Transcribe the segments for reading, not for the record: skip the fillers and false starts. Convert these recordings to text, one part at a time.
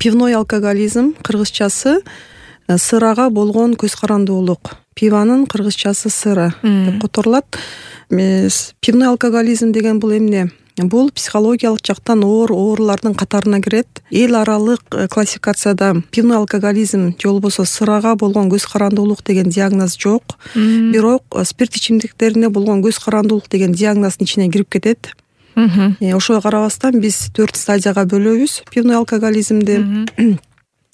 Пивной алкоголизм кыргызчасы сырага болгон көз карандуулук. Пиванын кыргызчасы сыра деп которулат. Пивной алкоголизм деген бул эмне? Бул психологиялык жактан оорулардын катарына кирет. Эл аралык классификацияда пивной алкоголизм же болбосо сырага болгон көз карандуулук деген диагноз жок. Бирок спирт ичимдиктерине болгон көз карандуулук деген диагноздун ичине кирип кетет. Ошого карабастан биз 4 стадияга бөлөбүз пивной алкоголизмди.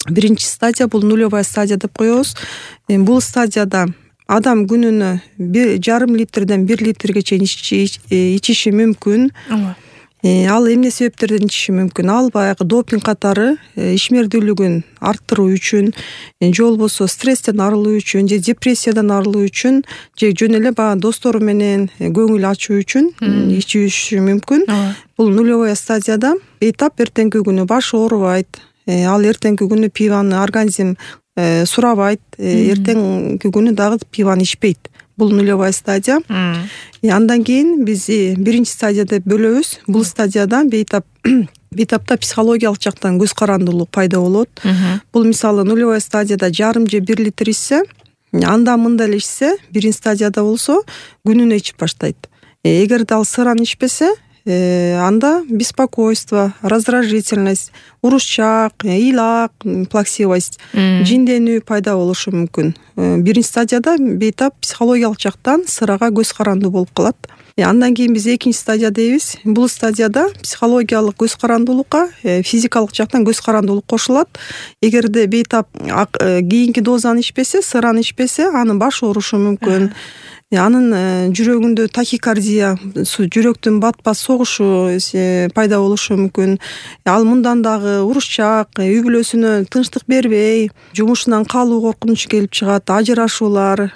Биринчи стадия бул нулевая стадия деп коебуз. Бул стадияда адам күнүнө 1,5 литрден 1 литрге чейин ичиши мүмкүн. Ал эмне себептерден ичиши мүмкүн? Ал баягы допинг катары ишмердүүлүгүн арттыруу үчүн, же болбосо стресстен арылуу үчүн, же депрессиядан арылуу үчүн, же жөн эле баягы достору менен көңүл ачуу үчүн ичиши мүмкүн. Бул нулевая стадияда бейтап эртеңки күнү башы оорубайт. Ал эртеңки күнү пиваны организм сурабайт, эртеңки күнү дагы пиваны ичпейт. Бул нулевая стадия. Андан кийин биз биринчи стадия деп бөлөбүз. Бул стадияда бейтапта психологиялык жактан көз карандуулук пайда болот. Бул мисалы нулевая стадияда жарым же 1 литр ичсе, анда мында эле ичсе, биринчи стадияда болсо күнүнө ичип баштайт. Эгерде ал сыраны ичпесе, анда беспокойство, раздражительность, урушчак, ыйлак, плаксивость, жинденүү пайда болушу мүмкүн. Биринчи стадияда бейтап психологиялык жактан сырага көз карандуу болуп калат. Андан кийин биз экинчи стадия дейбиз. Бул стадияда психологиялык көз карандуулукка физикалык жактан көз карандуулук кошулат. Эгерде бейтап кийинки дозаны ичпесе, сыраны ичпесе, анын башы оорушу мүмкүн. Анын жүрөгүндө тахикардия, жүрөктүн бат-бат согушу пайда болушу мүмкүн. Ал мындан дагы урушчак, үй бүлөсүнө тынчтык бербей, жумушунан калуу коркунучу келип чыгат, ажырашуулар.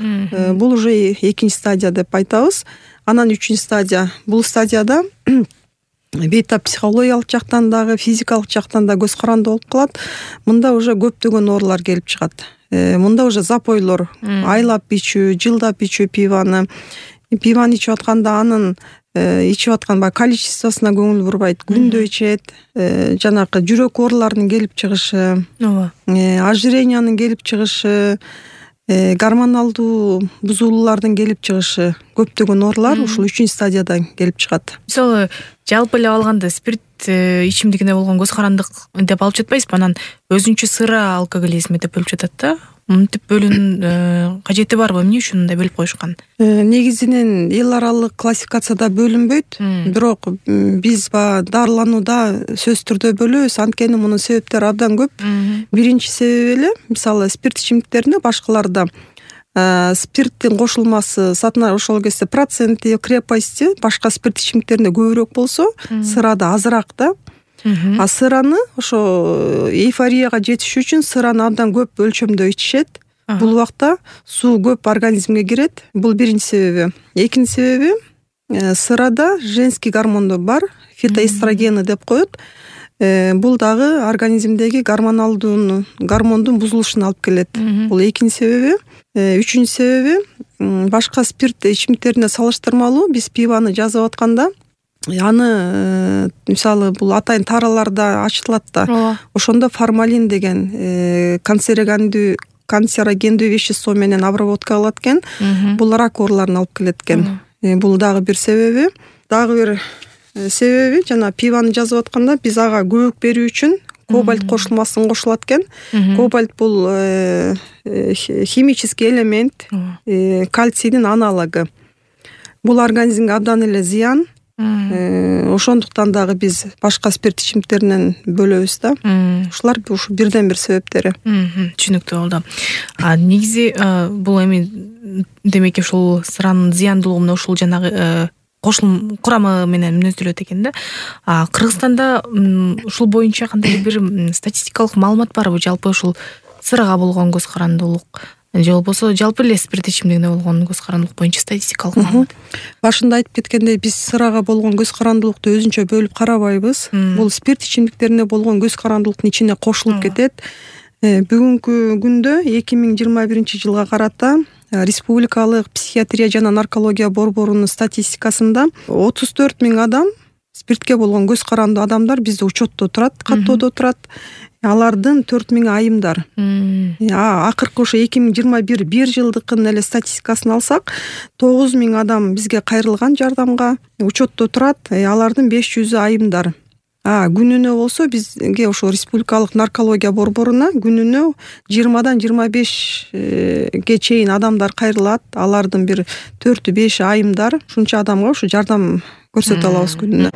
Бул уже экинчи стадия деп айтабыз. Анан үчүнчү стадия. Бул стадияда бейтап психологиялык жактан дагы, физикалык жактан да көз карандуу болуп калат. Мында уже көптөгөн оорулар келип чыгат. Мында уже запойлор, айлап ичүү, жылдап ичүү пиваны ичип атканда анын ичип аткан количествосуна көңүл бурбайт, күндө ичет, жанакы жүрөк ооруларынын келип чыгышы, ожирениянын келип чыгышы, гормоналдуу бузулуулардын келип чыгышы, көптөгөн оорулар ушул 3 стадияда келип чыгат. Мисалы, жалпы эле алганда спирт ичимдигине болгон көз карандык деп алып жатпайсызбы? Анан өзүнчө сыра алкоголизми деп бөлүп жатат да. Мынтип бөлүүнүн кажети барбы? Эмне үчүн мындай бөлүп коюшкан? Негизинен эл аралык классификацияда бөлүнбөйт, бирок биз дарыланууда сөзсүз түрдө бөлөбүз. Анткени мунун себептери абдан көп. Биринчи себеби эле, мисалы, спирт ичимдиктерине башкаларда спирттин кошулмасы, ошол кезде проценти, крепости башка спирт ичимдиктеринде көбүрөөк болсо, сырада азыраак да. А сыраны ошо эйфорияга жетиш үчүн сыраны абдан көп өлчөмдө ичишет. Бул убакта суу көп организмге кирет. Бул биринчи себеби. Экинчи себеби, сырада женский гормондор бар, фитоэстрогены деп коет. Бул дагы организмдеги гормондун бузулушуна алып келет. Бул экинчи себеби. Үчүнчү себеби, башка спирт ичимдиктерине салыштырмалуу биз пиваны жазып атканда, аны мисалы бул атайын тараларда ачылат да. Ошондо формалин деген канцерогендүү вещество менен обработка кылат экен. Бул рак ооруларына алып келет экен. Бул дагы бир себеби. Дагы бир себеби, жана пиваны жазып атканда биз ага көбүк берүү үчүн кобальт кошулмасын кошулат экен. Кобальт бул химический элемент, кальцийдин аналогу. Бул организмге абдан эле зыян. Ошондуктан дагы биз башка спирт ичимдиктеринен бөлөбүз да. Ушулар ушу бирден бир себептери. Түшүнүктүү болду. Негизи бул эми демек ушул сыранын зыяндуулугуна ушул жанагы кошулма курамы менен мүнөздөлөт экен да. Кыргызстанда ушул боюнча кандайдыр бир статистикалык маалымат барбы? Жалпы ушул сырага болгон көз карандуулук же болбосо жалпы эле спирт ичимдигине болгон көз карандуулук боюнча статистикалык маалымат? Башында айтып кеткендей, биз сырага болгон көз карандуулукту өзүнчө бөлүп карабайбыз. Бул спирт ичимдиктерине болгон көз карандуулуктун ичине кошулуп кетет. Бүгүнкү күндө 2021 жылга карата Республикалык психиатрия жана наркология борборунун статистикасында 34 000 адам спиртке болгон көз карандуу адамдар бизде учетто турат, каттоодо турат. алардын 4000 айымдар. Акыркы ошо 2021 бир жылдыкын эле статистикасын алсак, 9000 адам бизге кайрылган жардамга, учетто турат. Алардын 500 айымдар. Күнүнө болсо бизге ошо республикалык наркология борборуна күнүнө 20-дан 25ге чейин адамдар кайрылат. Алардын бир 4-5 айымдар. Ушунча адамга ошо жардам көрсөтө алабыз күнүнө.